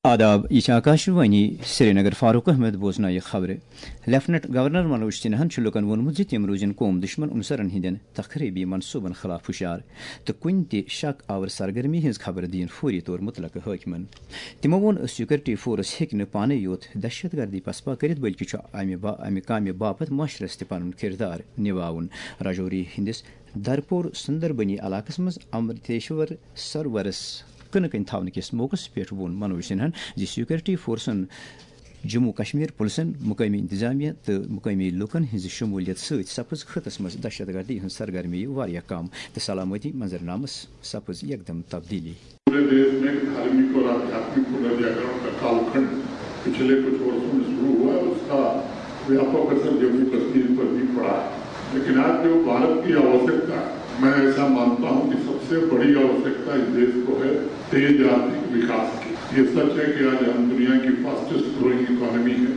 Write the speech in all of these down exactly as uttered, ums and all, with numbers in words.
آداب، یہِ چھِ آکاشوانی سرینگر۔ فاروق احمد بوزنایہِ خبرٕ۔ لیفٹننٹ گورنر منوج سنہاہن چھُ لوٗکَن ووٚنمُت زِ تِم روٗزِن قوم دُشمن عنصرن ہٕنٛدٮ۪ن تخریبی منصوٗبن خلاف ہُشیار تہٕ کُنہِ تہِ شک آور سرگرمی ہٕنٛز خبر دِیِن فوری طور مُتلقہٕ حٲکمن۔ تِمو ووٚن، سیکورٹی فورس ہیٚکہِ نہٕ پانے یوت دہشت گردی پسپا کٔرِتھ، بلکہِ چھُ امہِ با-، امہِ کامہِ باپتھ معاشرس تہِ پنُن کردار نِباوُن۔ راجوری ہٕنٛدِس درپور سندربنی علاقس منٛز امرتیشور سرورس کٕنہٕ کَنۍ تھاونہٕ کِس موقعس پٮ۪ٹھ ووٚن منوج سنہاہن زِ سیکورٹی فورسن، جموں کشمیر پُلسن، مقٲمی انتظامیہ تہٕ مقٲمی لوٗکن ہٕنٛزِ شموٗلیت سۭتۍ سپٕز خطس منٛز دہشت گردی ہٕنٛز سرگرمی واریاہ کم تہٕ سلامتی منظرنامس سپٕز یکدم تبدیلی۔ पूरे देश में धार्मिक और आध्यात्मिक पुनर्जागरण का कालखंड पिछले कुछ वर्षों में शुरू हुआ है, उसका व्यापक असर जम्मू कश्मीर पर भी पड़ा है। लेकिन आज जो भारत की आवश्यकता है, मैं ऐसा मानता हूं कि सबसे बड़ी आवश्यकता इस देश को है तेज आर्थिक विकास की। ये सच है कि आज हम दुनिया की फास्टेस्ट ग्रोइंग इकोनॉमी है,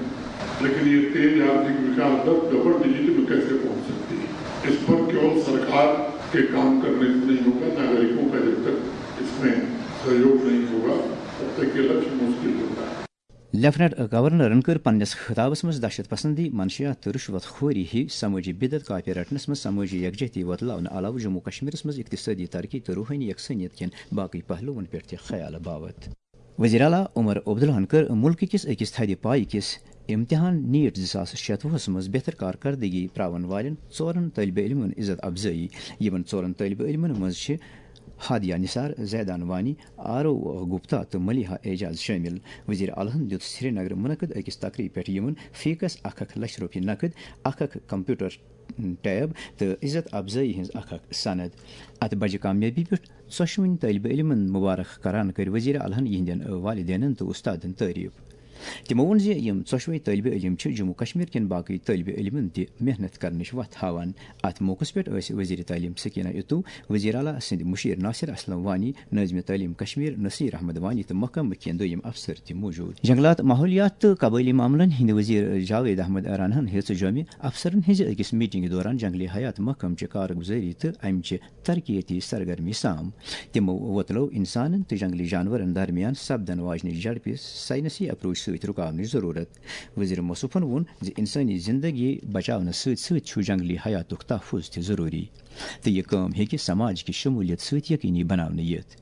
लेकिन ये तेज आर्थिक विकास दर डबल डिजिट में कैसे पहुंच सकती है, इस पर केवल सरकार के काम करने से नहीं होगा, नागरिकों का जब तक इसमें सहयोग नहीं होगा, तब तक ये लक्ष्य मुश्किल होता है। لیفٹننٹ گورنرن کٔر پننِس خطابس منٛز دہشت پسندی، منشیات تہٕ رشوت خوری ہی سمٲجی بدعت کاپی رٹنس منٛز سمٲجی یکجہتی وۄتلاونہٕ علاوٕ جموں کشمیرس منٛز اقتصٲدی ترقی تہٕ روحٲنی یکسانیت کٮ۪ن باقٕے پہلوون پٮ۪ٹھ تہِ خیال باوت۔ وزیر اعلیٰ عمر عبداللہن کٔر مُلکہٕ کِس أکِس تھدِ پایہِ کِس امتحان نیٹ زٕ ساس شتوُہس منٛز بہتر کارکردگی پراون والٮ۪ن ژورن طٲلبہِ علمن عزت افزٲیی۔ یِمن ژورن طٲلبہِ علمن منٛز چھِ ہادیہ نثار، زیدان وانی، آرو گپتا تہٕ ملیحہ اعجاز شٲمِل۔ وزیر اعلیٰ ہن دیُت سرینگرٕ منعقد أکِس تقریبہِ پٮ۪ٹھ یِمن فی کس اکھ اکھ لچھ رۄپیہِ نقد، اکھ اکھ کمپیوٹر ٹیب تہٕ عزت افزٲیی ہٕنٛز اکھ اکھ سند۔ اتھ بجہِ کامیٲبی پٮ۪ٹھ ژۄشوٕنی طٲلبہِ علمن مبارک کران کٔرۍ وزیر اعلیٰ ہن یِہنٛدٮ۪ن والدینن تہٕ استادن تعریف۔ تِمو ووٚن زِ یِم ژۄشوے طٲلبہِ علم چھِ جموں کشمیر کٮ۪ن باقٕے طٲلبہِ علمن تہِ محنت کرنٕچ وتھ ہاوان۔ اتھ موقعس پٮ۪ٹھ ٲسۍ وزیر تعلیم سکینہ اتو، وزیر اعلیٰ سٕنٛدۍ مشیر ناصر اسلم وانی، نٲظمِ تعلیم کشمیر نصیر احمد وانی تہٕ محکمہٕ کٮ۪ن دوٚیِم افسر تہِ موجود۔ جنگلات، ماحولیات تہٕ قبٲئلی معاملن ہٕنٛدۍ وزیر جاوید احمد راناہن ہیٚژ جوٚمہِ افسرن ہٕنٛزِ أکِس میٹنگہِ دوران جنگلی حیات محکمہٕ چہِ کارگزٲری تہٕ امہِ چہِ ترقیتی سرگرمی سام۔ تِمو وۄتلٲو انسانن تہٕ جنگلی جانورن درمیان سپدن واجنہِ جھڑپہِ سائنسی اپروچ سۭتۍ رُکاونٕچ ضروٗرت۔ وزیر موصوفن ووٚن زِ انسٲنی زندگی بچاونس سۭتۍ سۭتۍ چھُ جنگلی حیاتُک تحفظ تہِ ضروٗری، تہٕ یہِ کٲم ہیٚکہِ سماج کہِ شمولیت سۭتۍ یقینی بناونہٕ یِتھ۔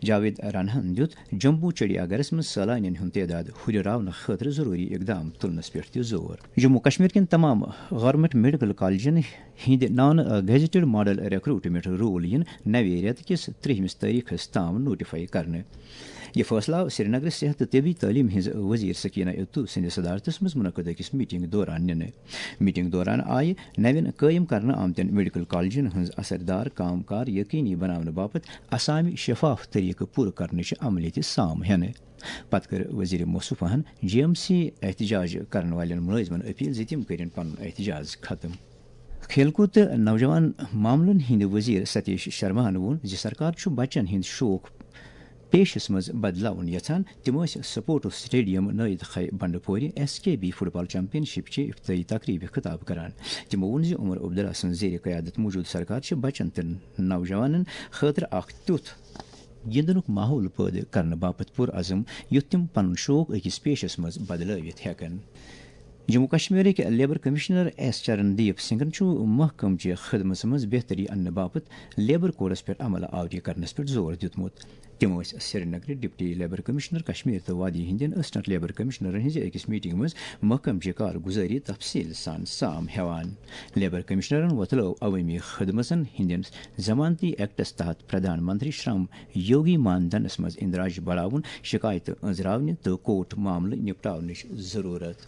جاوید راناہن دیُت جمبو چڑیا گھرس منٛز سٲلانین ہُنٛد تعداد ہُرراونہٕ خٲطرٕ ضروٗری اقدام تُلنس پٮ۪ٹھ تہِ زور۔ جموں کشمیر کٮ۪ن تمام گورنمنٹ میڈیکل کالجن ہٕنٛدِ نان گیزیٹڈ ماڈل ریکروٹمنٹ رول یِن نوِ رٮ۪تہٕ کِس ترٛہمِس تٲریخس تام نوٹیفائی کرنہٕ۔ یہِ فٲصلہٕ آو سرینگرٕ صحت تہٕ طبی تعلیٖم ہٕنٛز وزیر سکینہ اتو سٕنٛدِ صدارتس منٛز منعقد أکِس میٹنگ دوران نِنہٕ۔ میٹنگ دوران آیہِ نوٮ۪ن قٲیِم کرنہٕ آمتٮ۪ن میڈیکل کالجن ہٕنٛز اثردار کام کار یقینی بناونہٕ باپتھ اسامہِ شفاف طریقہٕ پوٗرٕ کرنٕچ عملہِ تہِ سام ہٮ۪نہٕ۔ پتہٕ کٔر وزیر موصوفاہن جی ایم سی احتجاج کرن والٮ۪ن مُلٲزمن اپیل زِ تِم کٔرِن پنُن احتجاج ختم۔ کھیل کوٗد تہٕ نوجوان معاملن ہٕنٛدِ وزیر ستیش شرماہن ووٚن زِ سرکار چھُ بچن ہٕنٛدۍ شوق پیشس منٛز بدلاوُن یژھان۔ تِم ٲسۍ سپورٹس سٹیڈیم نٲیِد خے بنڈٕ پورِ ایس کے بی فٹ بال چیمپین شپ چہِ افتتاحی تقریبہِ خطاب کران۔ تِمو ووٚن زِ عمر عبداللہ سٕنٛز زیر قیادت موجودٕ سرکار چھِ بچن تہٕ نوجوانن خٲطرٕ اکھ تیُتھ گِنٛدنُک ماحول پٲدٕ کرنہٕ باپتھ پُرعزم، یُتھ تِم پنُن شوق أکِس پیشس منٛز بدلٲوِتھ ہٮ۪کن۔ جموں کشمیرٕکۍ لیبر کمشنر ایس چرن دیپ سنگھن چھُ محکمہٕ چہِ خدمژ منٛز بہتری اننہٕ باپتھ لیبر کوڈس پٮ۪ٹھ عمل آوری کرنس پٮ۪ٹھ زور دیُتمُت۔ تِم ٲسۍ سرینگرٕ ڈپٹی لیبر کمشنر کشمیر تہٕ وادی ہٕنٛدٮ۪ن اسسٹنٹ لیبر کمشنرن ہٕنٛزِ أکِس میٹنگ منٛز محکمہٕ چہِ کارگزٲری تفصیل سان سام ہٮ۪وان۔ لیبر کمشنرن وۄتلٲو عوٲمی خدمژن ہٕنٛدٮ۪ن ضمانتی ایکٹس تحت پردھان منتری شرم یوگی مان دھنس منٛز اندراج بڑاوُن، شکایتہٕ أنٛزراونہِ تہٕ کورٹ معاملہٕ نپٹاونٕچ ضروٗرت۔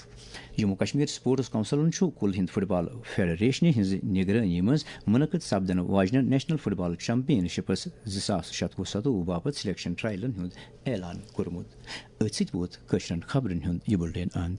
جموں کشمیر سپورٹس کونسلن چھُ کُل ہند فٹ بال فیڈریشنہِ ہٕنٛزِ نگرٲنی منٛز منعقد سپدن واجنٮ۪ن نیشنل فٹ بال چیمپین شپس زٕ ساس شتوُہ ستوُہ باپتھ سلیکشن ٹرائلن ہُنٛد اعلان کوٚرمُت۔ أتھۍ سۭتۍ ووت کٲشرٮ۪ن خبرن ہُنٛد یہِ بُلٹن اند۔